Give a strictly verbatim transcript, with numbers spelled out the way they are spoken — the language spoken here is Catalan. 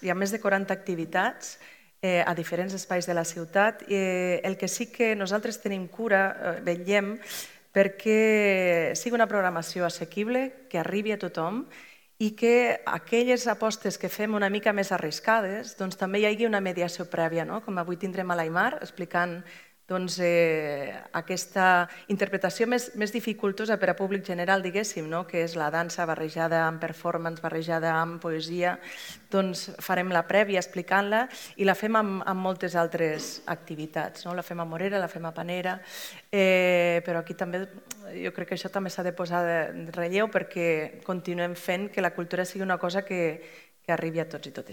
Hi ha més de quaranta activitats eh, a diferents espais de la ciutat. Eh, el que sí que nosaltres tenim cura, eh, vetllem, perquè sigui una programació assequible, que arribi a tothom i que aquelles apostes que fem una mica més arriscades, doncs també hi hagi una mediació prèvia, no? Com avui tindrem a l'Aimar explicant doncs, eh, aquesta interpretació més, més dificultosa per a públic general, diguéssim, no? Que és la dansa barrejada amb performance, barrejada amb poesia. Doncs farem la prèvia explicant-la i la fem amb, amb moltes altres activitats. No? La fem a Morera, la fem a Panera, eh, però aquí també jo crec que això també s'ha de posar de relleu perquè continuem fent que la cultura sigui una cosa que, que arribi a tots i totes.